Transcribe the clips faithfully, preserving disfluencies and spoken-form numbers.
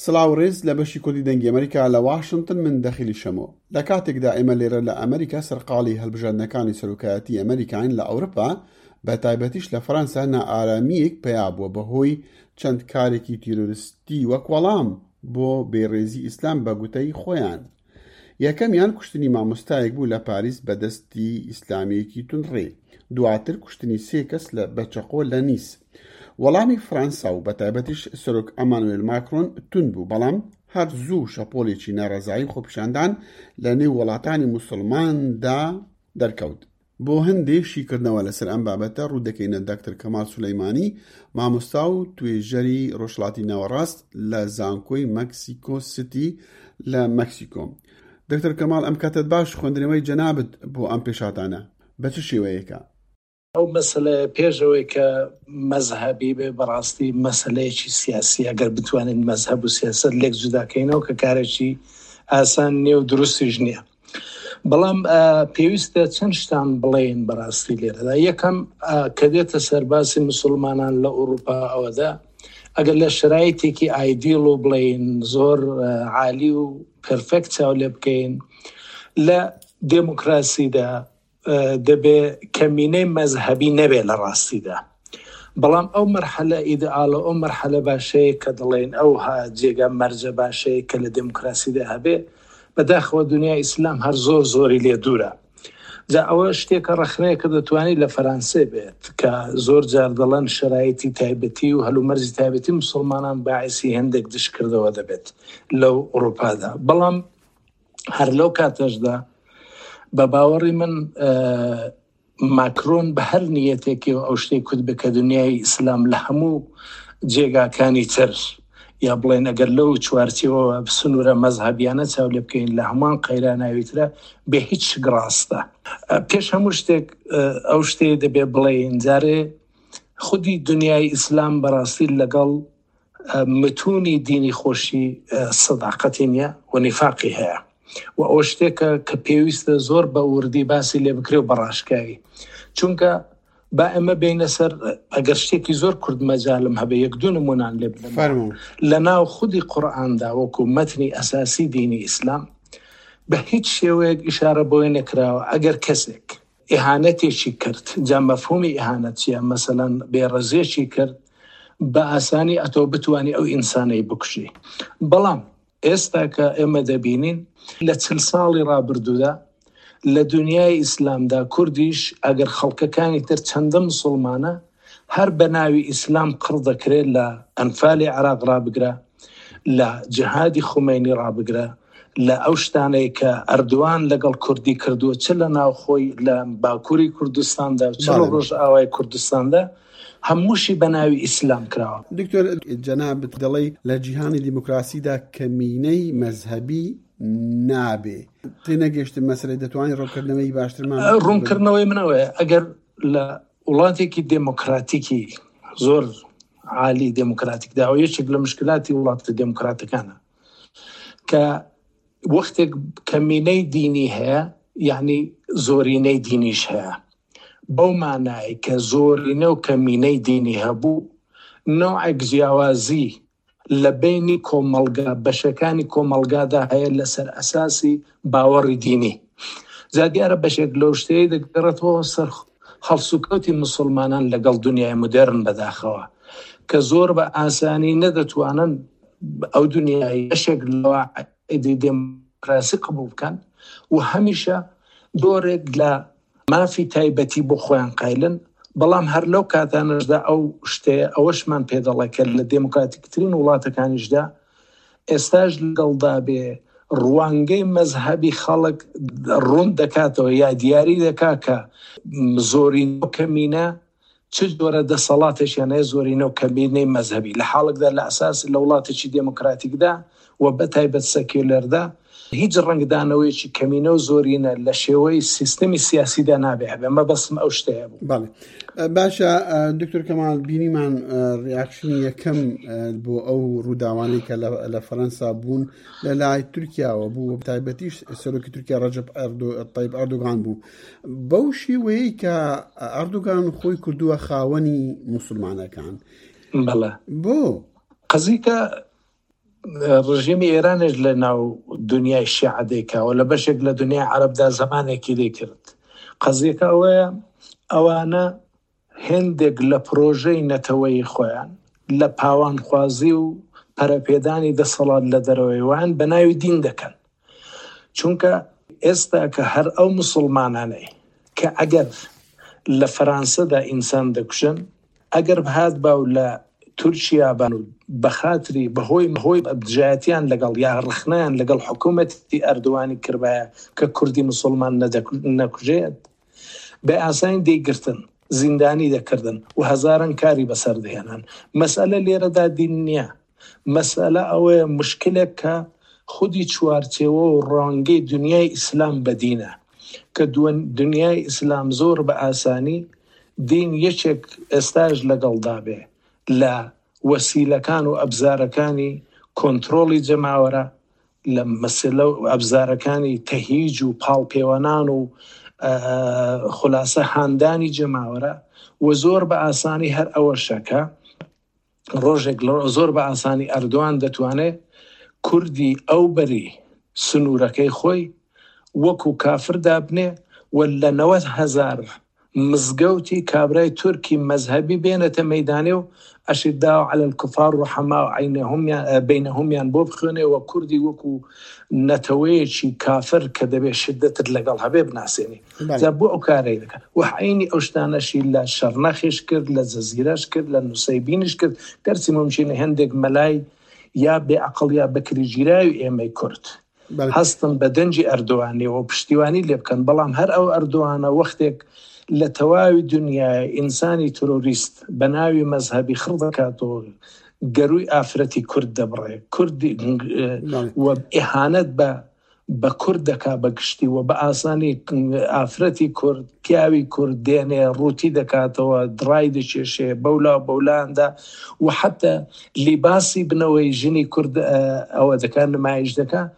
سڵاو ڕێز لە بەشی کوردی دەنگی ئەمریکا لە واشنتن، من دەخیلی شەمۆ. لە کاتێکدا ئێمە لێرە لە ئەمریکا سەرقاڵی هەڵبژاردنەکانی سەرۆکایەتی ئەمریکاین، لە ئەوروپا بە تایبەتیش لە فەرەنسا نائارامییەک پەیا بووە بەهۆی چەند کارێکی تیرۆریستی وەک وەڵام بۆ بێڕێزی ئیسلام بە گوتەی خۆیان. یەکەمیان کوشتنی مامۆستایەک بوو لە پاریس بە دەستی ئیسلامییەکی توندڕێ، دواتر کوشتنی سێ کەس لە بە چەقۆ لە نیس. وەڵامی فەرەنسا و بە تایبەتیش سەرۆک ئەمانوێل ماکرۆن توند بوو، بەڵام هەر زوو شەپۆلێکی ناڕەزایی خۆپیشاندان لە نێو وڵاتانی موسڵماندا دەرکەوت. بۆ هەندێ شیکردنەوە لەسەر ئەم بابەتە ڕوو دەکەینە دکتۆر کەمال سولەیمانی، مامۆستا و توێژەری ڕۆژهەڵاتی ناوەڕاست لە زانکۆی مەکسیکۆ سیتی لە مەکسیکۆ. دکتۆر کەمال، ئەم کاتت باش. خوێندنەوەی جەنابت بۆ ئەم پێشهاتانە بە چ شێوەیەکە؟ ئەو مەسەلەیە پێش ئەوەی کە مەزهەبی بێ، بەڕاستی مەسەلەیەکی سیاسی، ئەگەر بتوانین مەزهەب و سیاسەت لێک جوداکەینەوە کە کارێکی ئاسان نییە و دروستیش نییە، بەڵام پێویستە چەند شتان بڵێن بەڕاستی لێرەدا. یەکەم، کە دێتە سەرباسی مسلمانان لە ئەوروپا، ئەوەدا ئەگەر لە شرایطێکی ئایدیڵ و بڵێن زۆر عالی و پرفێکت چاو لێ بکەین، لە دێموکراسیدا دەبێ کەمینەی مەزهەبی نەبێ لە ڕاستیدا. بەڵام ئەو مەرحەلە ئیدئالە، ئەو مەرحەلە باشەیە کە دەڵێن ئەو جێگا مەرجە باشەیە کە لە دێموکراسیدا هەبێ، بەداخەوە دنیای ئیسلام هەر زۆر زۆری لێ دوورە. جا ئەوە شتێکە ڕەخنەیە کە دەتوانێت لە فەرانسێ بێت کە زۆر جار دەڵێن شرایطی تایبەتی و هەلومەرجی تایبەتی مسلمانان باعثی هەندێک دشکردەوە دەبێت لەو ئەوروپادا. بەڵام هەر لەو کاتەشدا بە باوەڕی من ماکرۆن بە هەر نیەتێکی و ئەو شتێک کورد بە کە دنیای ئیسلام لە هەموو جێگاکانی تر، یا بڵێن ئەگەر لەو چوارچێوە سنوورە مەزهەبیانە چاو لێ بکەین، لە هەمان قەیراناویترە، بێ هیچ شک ڕاستە. پێش هەموو شتێک ئەو شتێ دەبێ بڵێن جارێ خودی دنیای ئیسلام بەڕاستی لەگەڵ متونی دینی خۆشی سەداقەتی نییە و نیفاقی هەیە و ئەو شتێکە کە پێویستە زۆر بە وردی باسی لێ بکرێ و بەڕاشکاوی. چونکە با ئێمە بینە سەر، ئەگەر شتێکی زۆر کورد مەجالم هەبێ یەک دوو نمونان لێ بدەم. لە ناو خودی قورئاندا وەکو مەتنی ئەساسی دینی ئیسلام بە هیچ شێوەیەک ئیشارە بۆی نەکراوە ئەگەر کەسێک ئیهانەتێکی کرد، جا مەفهومی ئیهانەت چییە، مەسەلەن بێڕێزیەکی کرد، بە ئاسانی ئەتۆ بتوانی ئەو ئینسانەی بکوژی. بەڵام ئێستا کە ئێمە دەبینین لە چل ساڵی ڕابردوودا لە دنیای ئیسلامدا کوردیش ئەگەر خەڵکەکانی تر چەندە مسلمانە هەر بە ناوی ئیسلام قڕ دەکرێت، لە ئەنفالی عێراق ڕابگرە، لە جیهادی خومەینی ڕابگرە، لە ئەو شتانەی کە ئەردوان لەگەڵ کوردی کردووە چ لە ناوخۆی لە باکووری کوردستاندا و چ لە ڕۆژئاوای کوردستاندا، هەمووشی بە ناوی ئیسلام کراوە. دکتۆر، جەنابت دەڵێی لە جیهانی دیموکراسیدا کەمینەی مەزهەبی نابێ. تێنەگەشتم مەسەلەی، دەتوانین ڕوونکردنەوەی باشترمان؟ ڕوونکردنەوەی منەوەیە ئەگەر لە وڵاتێکی دێموکراتیکی زۆر عالی دێموکراتیکدا، ئەو یەکێک لە مشکلاتی وڵاتە دێموکراتەکانە کە وەختێک کەمینەی دینی هەیە، یعنی زۆرینەی دینیش هەیە، بەو مانای کە زۆرینە و کەمینەی دینی هەبوو، نەوعێک جیاوازی لە بینی کۆمەڵگا بەشەکانی کۆمەڵگادا هەیە لەسەر ئەساسی باوەڕی دینی. جا دیارە بەشێک لەو شتەیە دەگەڕێتەوە سەر هەڵسوکەوتی مسلمانان لەگەڵ دنیای مدێرن بەداخەوە کە زۆر بە ئاسانی نەدەتوانن ئەو دنیای بەشێک لەوە دێموکراسی قبوڵ بکەن و هەمیشە دۆرێک لە مافی تایبەتی بۆ خۆیان قایلن. بەڵام هەر لەو کاتانەشدا ئەو شتەیە ئەوەشمان پێدەڵێ کە لە دێموکراتیکترین وڵاتەکانیشدا ئێستاش لەگەڵدا بێ ڕوانگەی مەزهەبی خەڵک ڕوون دەکاتەوە یا دیاری دەکا کە زۆرینە و کەمینە چ جۆرە دەسەڵاتێکیان هەیە، زۆرینە و کەمینەی مەزهەبی، لە حاڵێکدا لە ئەساس لە وڵاتێکی دێموکراتیکدا و بە تایبەت سەکیولەردا هیچ ڕەنگدانەوەیەکی کەمینە و زۆرینە لە شێوەی سیستمی سیاسیدا نابێ هەبێ. مەبەستم ئەو شتەیە بوو. بەڵێ باشە دکتۆر کەمال، بینیمان ڕیاکشنی یەکەم بۆ ئەو ڕووداوانەی کە لە فەرەنسا بوون لە لای تورکیاوە بوو، تایبەتیش سەرۆکی تورکیا ڕەجەب تەیب ئەردۆغان بوو، بەو شێوەیەی کە ئەردۆغان خۆی کردووە خاوەنی موسڵمانەکان. بەڵێ. بۆ قەزیکە ڕژێمی ئێرانش لە ناو دنیای شیعە دەیکاوە، لە بەشێک لە دنیای عەرەبدا زمانێکی دەیکرد. قەزیەکە ئەوەیە ئەوانە هێندێک لە پرۆژەی نەتەوەی خۆیان لە پاوانخوازی و پەرەپێدانی دەسەڵات لە دەرەوەی وان بە ناوی دین دەکەن. چونکە ئێستا کە هەر ئەو مسلمانانەی کە ئەگەر لە فەرانسەدا ئینسان دەکوژن، ئەگەر بهات باو لە تورکیا بان و بەخاتری بەهۆی هۆی دژایەتیان لەگەڵ یا ڕخنیان لەگەڵ حکوومەتی ئەردوانی کردبایە کە کوردی مسلمان نەکوژێت، بە ئاسانی دەیگرتن، زیندانی دەکردن و هەزاران کاری بەسەر دەهێنان. مەسئلە لێرەدا دین نییە، مەسئلە ئەوەیە مشکلێک کە خودی چوارچێوە و ڕەنگەی دنیای ئیسلام بەدینە، کە دنیای ئیسلام زۆر بە ئاسانی دین یەکێک ئێستاش لەگەڵدا بێ لە وەسیلەکان و ئەبزارەکانی کۆنترۆڵی جەماوەرە، لە مەسەلە و ئەبزارەکانی تەهیج و پاڵپێوەنان و خلاصە هاندانی جەماوەرە. و زۆر بە ئاسانی هەر ئەوەشەکە ڕۆژێک زۆر بە ئاسانی ئەردوان دەتوانێت کوردی ئەو بەری سنوورەکەی خۆی وەکو کافر دابنێ و لە نەوەد هەزار مزگەوتی کابرای تورکی مەزهەبی بێنێتە مەیدانێ و ئەشیداو عەلە الکفار ڕوحەما بەینەهومیان بۆ بخوێنێ و کوردی وەکو نەتەوەیەکی کافر کە دەبێت شدەتت لەگەڵ هەبێ بناسێنی. جا بۆ ئەو کارەی دەکات. و عەینی ئەو شتانەشی لە شەرنەخیش کرد، لە جەزیرەش کرد، لە نوسەیبینیش کرد. گەرچی ممکنە هەندێک مەلای یا بێعەقڵ یا بەکریگیراوی ئێمەی کورد هەستن بە دەنگی ئەردۆغانیەوە پشتیوانی لێ بکەن، بەڵام هەر ئەو ئەردۆغانە وەختێک لە تەواوی دنیای ئینسانی ترۆریست بە ناوی مەزهەبی خڕ دەکاتەوە، گەروی ئافرەتی کورد دەبڕێ، کوردی و ئیهانەت بە بە کورد دەکا بە گشتی و بە ئاسانی ئافرەتی کورد، پیاوی کورد دێنێ ڕووتی دەکاتەوە، دڕای دەکێشێ بەولا بەولاندا و حتی لیباسی بنەوەی ژنی کورد ئەوە دەکات، نمایش دەکات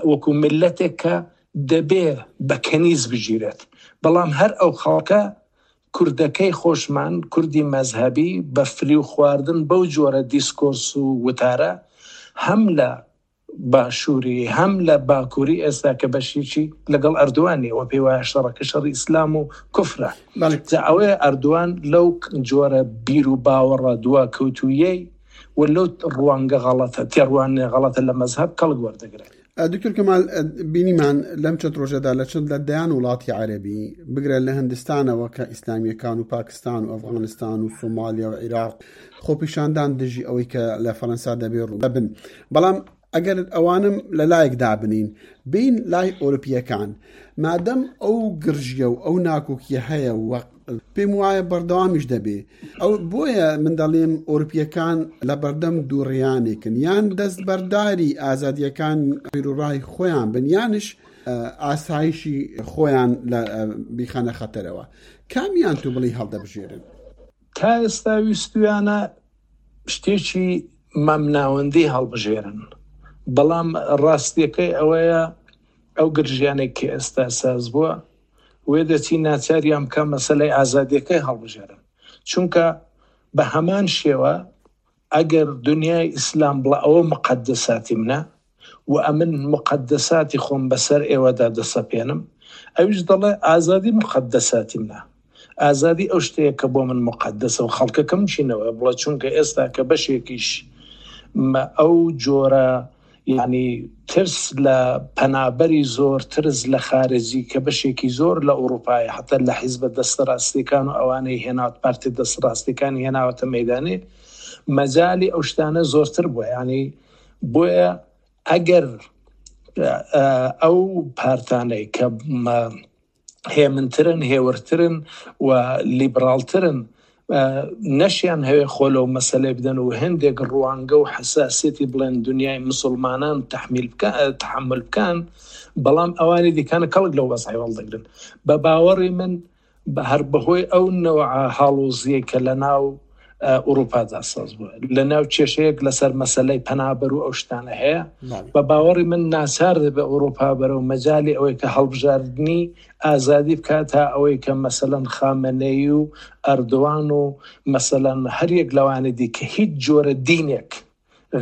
وەکو میللەتێک کە دەبێ بە کەنیز بگیرێت. بەڵام هەر ئەو خەڵکە کوردەکەی خۆشمان، کوردی مەزهەبی بە فریو خواردن بەو جۆرە دیسکۆرس و وتارە هەم لە باشووری هەم لە باکووری ئێستا کە بەشێکی لەگەڵ ئەردوانی و پێی وایە شەڕەکە شەڕی ئیسلام و کوفرە. جا ئەوەیە ئەردوان لەو جۆرە بیر و باوەڕە دواکەوتوویەی و لەو ڕوانگە غەڵەتە، تێڕوانێ غەڵەتە لە مەزهەب کەڵک وەردەگرێت. دکتۆر کەمال، بینیمان لەم چەند ڕۆژەدا لە چەند لە دەیان وڵاتی عەرەبی، بگرە لە هەندستانەوە کە ئیسلامیەکان و پاکستان و ئەفغانستان و سۆمالیا و عێراق خۆپیشاندان دژی ئەوەی کە لە فەرەنسا دەبێ ڕوو بن. بەڵام ئەگەر ئەوانم لە لایەک دابنین بین لای ئەوروپیەکان، مادەم ئەو گرژیە و ئەو ناکۆکیە هەیە و پێم وایە بەردەوامیش دەبێ، ئەو بۆیە من دەڵێم ئەوروپیەکان لە بەردەم دووڕیانێکن، یان دەستبەرداری ئازادیەکان بیرروڕای خۆیان بن، یانش ئاسایشی خۆیان لە بیخەنە خەتەرەوە. کامیان تو بڵی هەڵدەبژێرن؟ تا ئێستا ویستویانە شتێکی مامناوەندی هەڵبژێرن، بەڵام ڕاستیەکەی ئەوەیە ئەو گرژیانێک کە ئێستا ساز بووە وێ دەچی ناچاریان بکە مەسەلەی ئازادیەکەی هەڵبژێرن. چونکە بە هەمان شێوە ئەگەر دنیای ئیسلام بڵێ ئەوە مقەدەساتی منە و ئەمن مقەدەساتی خۆم بەسەر ئێوەدا دەسەپێنم، ئەویش دەڵێ ئازادی مقەدەساتی منە، ئازادی ئەو شتەیە کە بۆ من مقەدەسە و خەڵکەکەم چینەوە بڵێ. چونکە ئێستا کە بەشێکیش ئەو جۆرە یعنی ترس لە پەنابەری زۆر، ترس لە خارجی کە بەشێکی زۆر لە ئەوروپای، حتی لە حیزبە دەستڕاستیەکان و ئەوانەی هێناوت، پارتی دەستڕاستیەکان هێناوەتە مەیدانێ، مەجالی ئەو شتانە زۆرتر بووە. یعنی بۆیە ئەگەر ئەو پارتانەی کە هێمنترن، هێورترن و لیبرالترن نەشیان هەوێ خۆ لەو مەسەلەی بدەن و هەندێک ڕوانگە و حەساسیەتی بڵێن دنیای مسلمانان تحمیل بکەن، تحمل بکەن، بەڵام ئەوانی دیکانە کەڵک لەو وەزعی وەڵدەگرن. بە باوەڕی من هەر بەهۆی ئەو نەوع هاڵۆزیەی کە لە ناو ئەوروپادا ساز بووە، لە ناو کێشەیەک لەسەر مەسەلەی پەنابەر و ئەو شتانە هەیە، بە باوەڕی من ناچار دەبێ ئەوروپا بەرەو مەجالی ئەوەی کە هەڵبژاردنی ئازادی بکات تا ئەوەی کە مەسەلەن خامنەیی و ئەردوان و مەسەلەن هەر یەک لەوانە دی کە هیچ جۆرە دینێک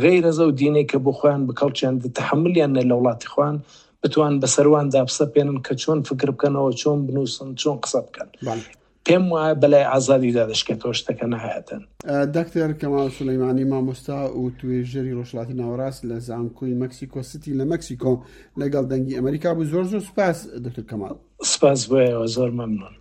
غەیرەز ئەو دینەی کە بۆ خۆیان بکەڵکیان تەحەمولیان نە لە وڵاتی خۆیان بتوان بەسەرواندا بسەپێنن کە چۆن فکر بکەنەوە، چۆن بنووسن، چۆن قسە بکەن. پێم وایە بەلای ئازادیدا دەشکێتەوە شتەکە نەهایەتەن. دکتۆر کەمال سولەیمانی، مامۆستا و توێژەری ڕۆژهەڵاتی ناوەڕاست لە زانکۆی مەکسیکۆ سیتی لە مەکسیکۆ لەگەڵ دەنگی ئەمریکا بوو. زۆر زۆر سوپاس دکتۆر کەمال. سپاس بۆ ئێوە، زۆر مەمنون.